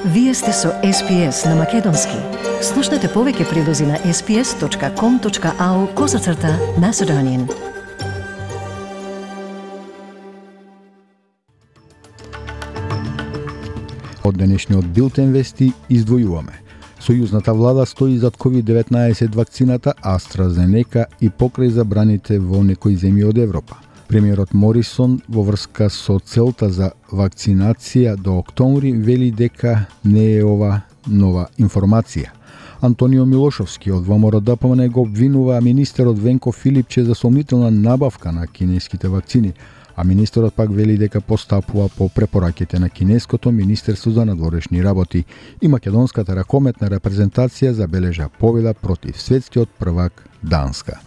Вие сте со SPS на Македонски. Слушнете повеќе прилози на sps.com.au/Macedonian. Од денешниот билтен вести издвојуваме. Сојузната влада стои зад COVID-19 вакцината AstraZeneca и покрај забраните во некои земји од Европа. Премиерот Морисон во врска со целта за вакцинација до октомври вели дека не е ова нова информација. Антонио Милошовски од ВМРО-ДПМН го обвинува министерот Венко Филипче за сомнителна набавка на кинеските вакцини, а министерот пак вели дека постапува по препораките на кинеското Министерство за надворешни работи и македонската ракометна репрезентација забележа победа против светскиот првак Данска.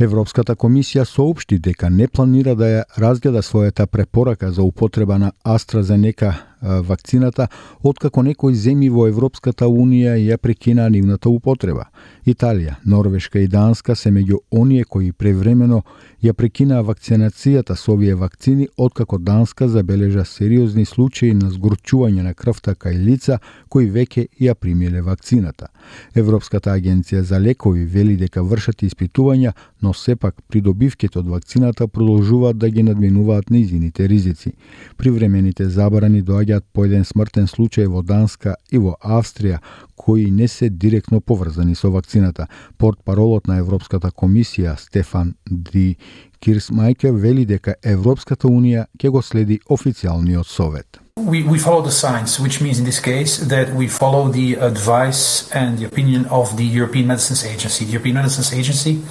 Европската комисија соопшти дека не планира да ја разгледа својата препорака за употреба на AstraZeneca вакцината, откако некои земји во Европската Унија ја прекинаа нивната употреба. Италија, Норвешка и Данска се меѓу оние кои превремено ја прекинаа вакцинацијата со овие вакцини, откако Данска забележа сериозни случаи на згорчување на крвта кај лица кои веќе ја примиле вакцината. Европската агенција за лекови вели дека вршат испитувања, но сепак придобивките од вакцината продолжуваат да ги надминуваат нејзините ризици. Привремените забрани доаѓаат по еден смртен случај во Данска и во Австрија, кои не се директно поврзани со вакцината. Портпаролот на Европската комисија Стефан Ди Кирсмајкер вели дека Европската Унија ќе го следи официјалниот совет. We follow the science, which means in this case that we follow the advice and the opinion of the European Medicines Agency. The European Medicines Agency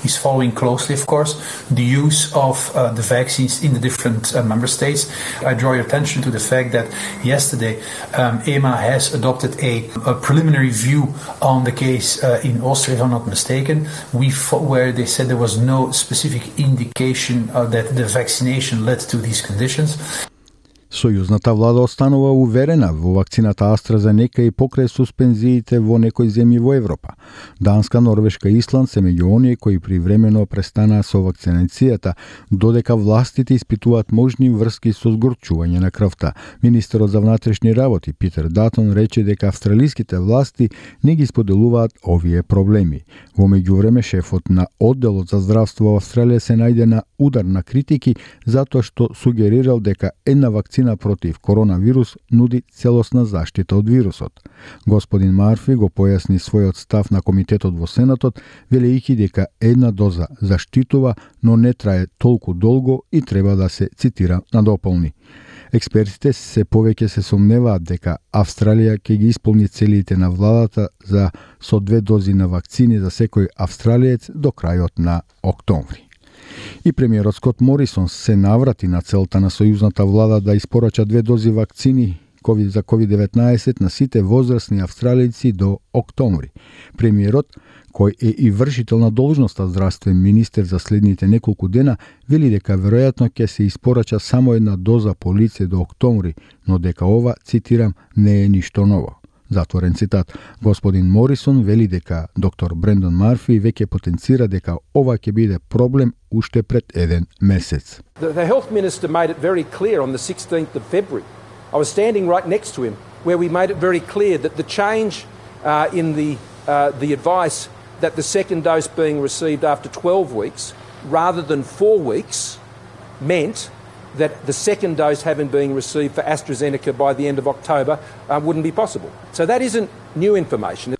is following closely, of course, the use of the vaccines in the different member states. I draw your attention to the fact that yesterday EMA has adopted a preliminary view on the case in Austria, if I'm not mistaken, where they said there was no specific indication that the vaccination led to these conditions. Сојузната влада останува уверена во вакцината AstraZeneca и покрај суспензиите во некои земји во Европа. Данска, Норвешка и Исланд се меѓу оние кои привремено престанаа со вакцинацијата, додека властите испитуваат можни врски со згорчување на крвта. Министерот за внатрешни работи Питер Датон рече дека австралиските власти не ги споделуваат овие проблеми. Во меѓувреме шефот на одделот за здравство во Австралија се најде на удар на критики затоа што сугерирал дека една вакцина против коронавирус нуди целосна заштита од вирусот. Господин Марфи го појасни својот став на комитетот во Сенатот, велејќи дека една доза заштитува, но не трае толку долго и треба да се цитира надополни. Експертите се повеќе се сомневаат дека Австралија ќе ги исполни целите на владата за со 2 дози на вакцини за секој австралиец до крајот на октомври. И премиерот Скот Морисон се наврати на целта на сојузната влада да испорача 2 дози вакцини за COVID-19 на сите возрастни австралијци до октомври. Премиерот, кој е и вршител на должноста здравствен министер за следните неколку дена, вели дека веројатно ќе се испорача само една доза по лице до октомври, но дека ова, цитирам, не е ништо ново. Затворен цитат. Господин Морисон вели дека доктор Брендон Марфи веќе потенцира дека ова ќе биде проблем уште пред еден месец. The health minister made it very clear on the 16th of February. I was standing right next to him where we made it very clear that the change in the advice that the second dose being received after 12 weeks rather than 4 weeks meant that the second dose having been received for AstraZeneca by the end of October wouldn't be possible. So that isn't new information.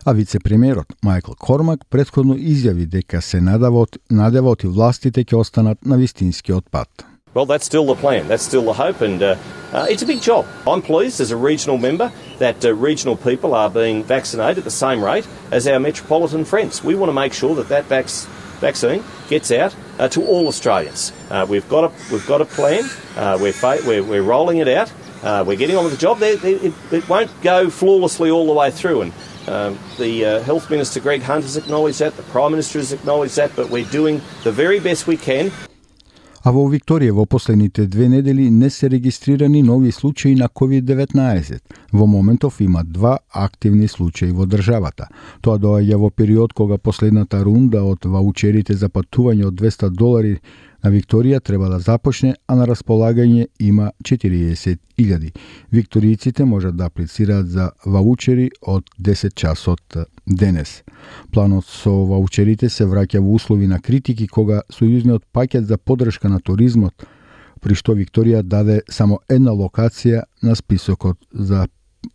А вице-премиерот Майкл Кормак претходно изјави дека се надевот и властите ќе останат на вистинскиот пат. Well, that's still the plan. That's still the hope, and it's a big job. I'm pleased as a regional member that regional people are being vaccinated at the same rate as our metropolitan friends. We want to make sure that vaccine gets out to all Australians. We've got a plan. We're rolling it out. We're getting on with the job. It won't go flawlessly all the way through, and the Health Minister Greg Hunt has acknowledged that. The Prime Minister has acknowledged that. But we're doing the very best we can. А во Викторија во последните 2 недели не се регистрирани нови случаи на COVID-19. Во моментов има 2 активни случаи во државата. Тоа доаѓа во период кога последната рунда од ваучерите за патување од $200 На Викторија треба да започне, а на располагање има 40.000. Викторијците можат да аплицираат за ваучери од 10 часот денес. Планот со ваучерите се враќа во услови на критики кога сојузниот пакет за поддршка на туризмот, при што Викторија даде само една локација на списокот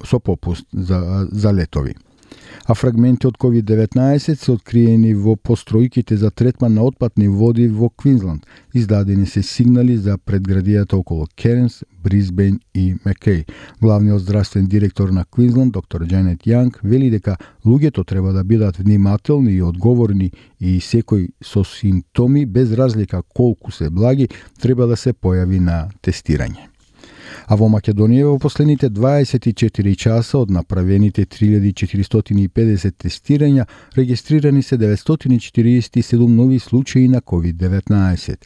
со попуст за летови. А фрагменти од COVID-19 се откриени во постројките за третман на отпадни води во Квинсланд. Издадени се сигнали за предградијата околу Керенс, Брисбейн и Макеј. Главниот здравствен директор на Квинсланд, доктор Джанет Јанг, вели дека луѓето треба да бидат внимателни и одговорни и секој со симптоми, без разлика колку се благи, треба да се појави на тестирање. А во Македонија во последните 24 часа од направените 3450 тестирања регистрирани се 947 нови случаи на COVID-19.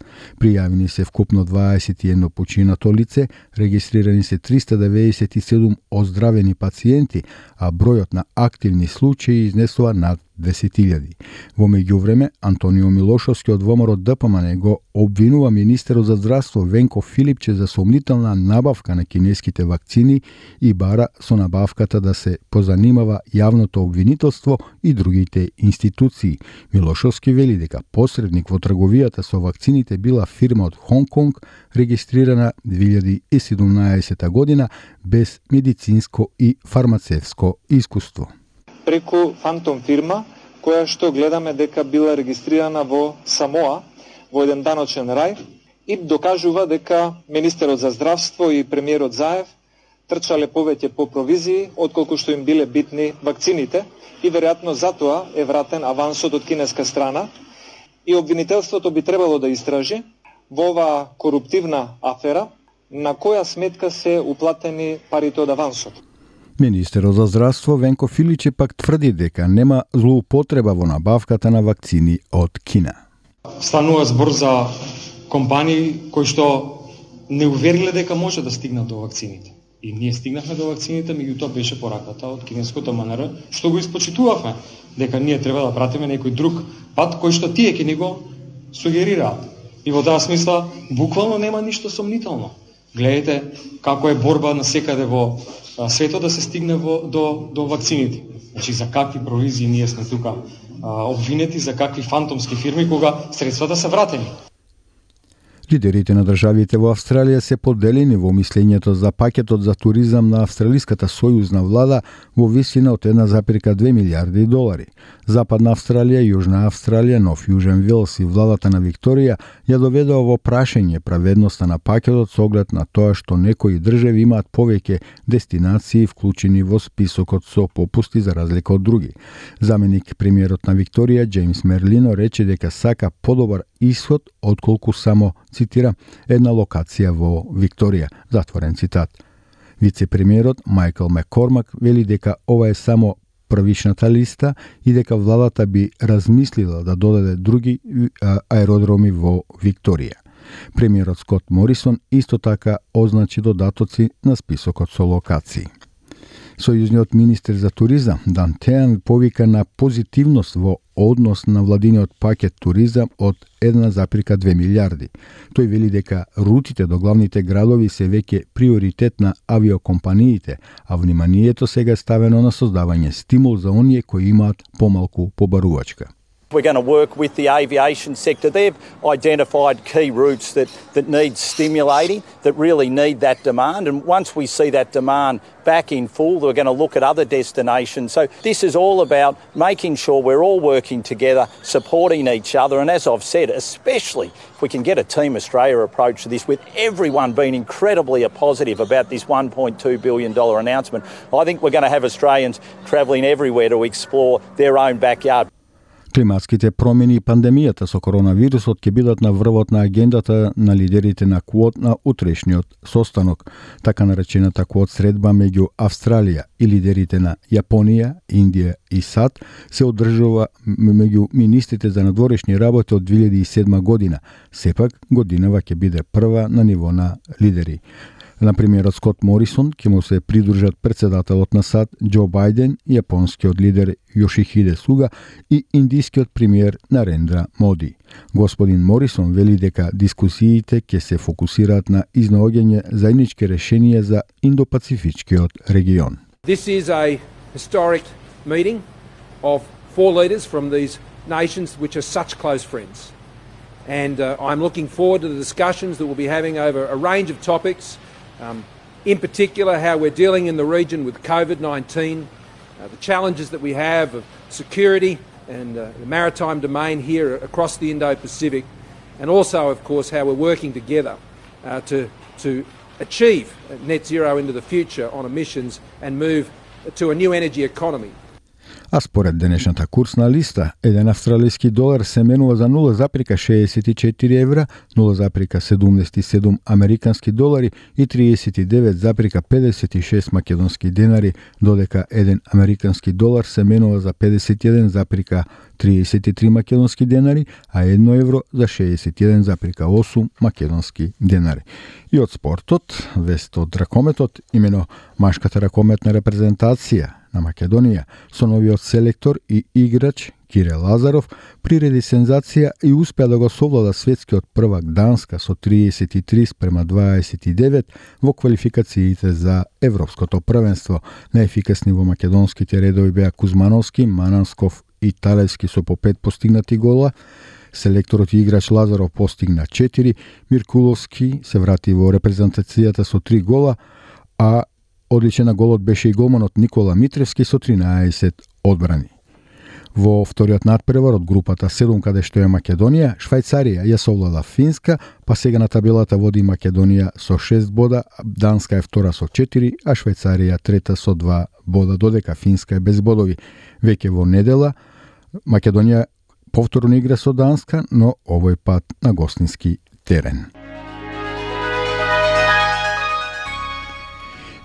Пријавени се вкупно 21 починато лице, регистрирани се 397 оздравени пациенти, а бројот на активни случаи изнесува над 10.000. Во меѓувреме, Антонио Милошовски од ВМРО ДПМН го обвинува министерот за здравство Венко Филипче за сомнителна набавка на кинеските вакцини и бара со набавката да се позанимава јавното обвинителство и другите институции. Милошовски вели дека посредник во трговијата со вакцините била фирма од Хонг Конг, регистрирана 2017 година без медицинско и фармацевско искуство. Преку фантом фирма, која што гледаме дека била регистрирана во Самоа, во еден даночен рај, и докажува дека министерот за здравство и премиерот Заев трчале повеќе по провизии, отколку што им биле битни вакцините, и веројатно затоа е вратен авансот од кинеска страна, и обвинителството би требало да истражи во оваа коруптивна афера, на која сметка се уплатени парите од авансот. Министерот за здравство Венко Филиче пак тврди дека нема злоупотреба во набавката на вакцини од Кина. Станува збор за компании кои што не увериле дека може да стигнат до вакцините. И ние стигнахме до вакцините, меѓутоа беше пораката од кинеското МНР, што го испочитувавме, дека ние треба да пратиме некој друг пат кој што тие ќе ни го сугерираат. И во таа смисла, буквално нема ништо сомнително. Гледате како е борба на секаде во светот да се стигне до вакцините. Значи, за какви провизии ние сме тука обвинети, за какви фантомски фирми, кога средствата се вратени. Лидерите на државите во Австралија се поделени во мислењето за пакетот за туризам на австралиската сојузна влада во висина од 1,2 милиарди долари. Западна Австралија, Јужна Австралија, Нов Јужен Велс и владата на Викторија ја доведоа во прашање праведноста на пакетот со оглед на тоа што некои држави имаат повеќе дестинации вклучени во списокот со попусти за разлика од други. Заменик премиерот на Викторија Џејмс Мерлино рече дека сака подобар исход отколку само, цитира, една локација во Викторија, затворен цитат. Вице-премиерот Мајкл Маккормак вели дека ова е само првичната листа и дека владата би размислила да додаде други аеродроми во Викторија. Премиерот Скот Морисон исто така означи додатоци на списокот со локации. Сојузниот министер за туризам Дан Теан повика на позитивност во однос на владиниот пакет туризам од 1,2 милиарди. Тој вели дека рутите до главните градови се веќе приоритет на авиокомпаниите, а вниманието сега е ставено на создавање стимул за оние кои имаат помалку побарувачка. We're going to work with the aviation sector. They've identified key routes that need stimulating, that really need that demand. And once we see that demand back in full, we're going to look at other destinations. So this is all about making sure we're all working together, supporting each other. And as I've said, especially if we can get a Team Australia approach to this, with everyone being incredibly positive about this $1.2 billion announcement, I think we're going to have Australians travelling everywhere to explore their own backyard. Климатските промени и пандемијата со коронавирусот ќе бидат на врвот на агендата на лидерите на Квот на утрешниот состанок. Така наречената Квот средба меѓу Австралија и лидерите на Јапонија, Индија и САД се одржува меѓу министрите за надворешни работи од 2007 година. Сепак, годинава ќе биде прва на ниво на лидери. На премиерот Скот Морисон ќе му се придружат председателот на САД Џо Бајден, јапонскиот лидер Јошихиде Суга и индискиот премиер Нарендра Моди. Господин Морисон вели дека дискусиите ќе се фокусираат на изнаоѓање заеднички решенија за Индо-Пацифичкиот регион. This is a historic meeting of 4 leaders from these nations which are such close friends. And I'm looking forward to the discussions that we'll be having over a range of topics, in particular how we're dealing in the region with COVID-19, the challenges that we have of security and the maritime domain here across the Indo-Pacific, and also, of course, how we're working together to achieve net zero into the future on emissions and move to a new energy economy. А според денешната курсна листа, еден австралиски долар се менува за 0,64 евра, 0,77 американски долари и 39,56 македонски денари, додека еден американски долар се менува за 51,33 македонски денари, а 1 евро за 61,8 македонски денари. И од спортот, вест од ракометот, имено машката ракометна репрезентација на Македонија со новиот селектор и играч Кире Лазаров приреди сензација и успеа да го совлада светскиот првак Данска со 33:29 во квалификациите за Европското првенство. Најефикасни во македонските редови беа Кузмановски, Манансков и Талевски со по 5 постигнати гола. Селекторот и играч Лазаров постигна 4, Миркуловски се врати во репрезентацијата со 3 гола, а одличен на голот беше и голманот Никола Митревски со 13 одбрани. Во вториот надпревар од групата 7, каде што е Македонија, Швајцарија ја совлада Финска, па сега на табелата води Македонија со 6 бода, Данска е втора со 4, а Швајцарија трета со 2 бода, додека Финска е без бодови. Веќе во недела Македонија повторно игра со Данска, но овој пат на гостински терен.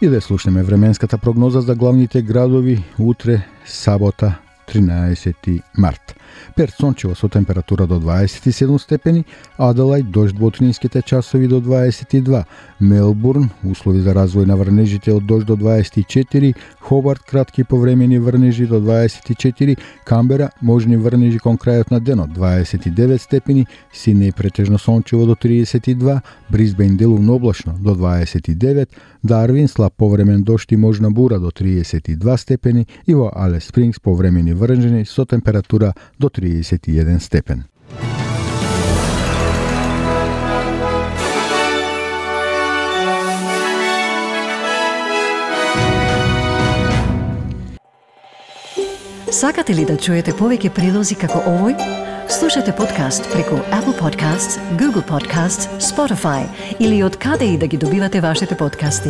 И да слушнеме временската прогноза за главните градови утре, сабота, 13 март. Перт сончево со температура до 27 степени, Аделајд дожд во утринските часови до 22, Мелбурн услови за развој на врнежите од дожд до 24, Хобарт кратки повремени врнежи до 24, Камбера можни врнежи кон крајот на денот 29 степени, Сиднеј претежно сончево до 32, Брисбејн делумно облачно до 29, Дарвин слаб повремен дожд и можна бура до 32 степени и во Алес Спрингс повремени врнежи со температура до 31 степен. Сакате ли да чуете повеќе прилози како овој? Слушате подкаст преку Apple Podcasts, Google Podcasts, Spotify или од каде и да ги добивате вашите подкасти.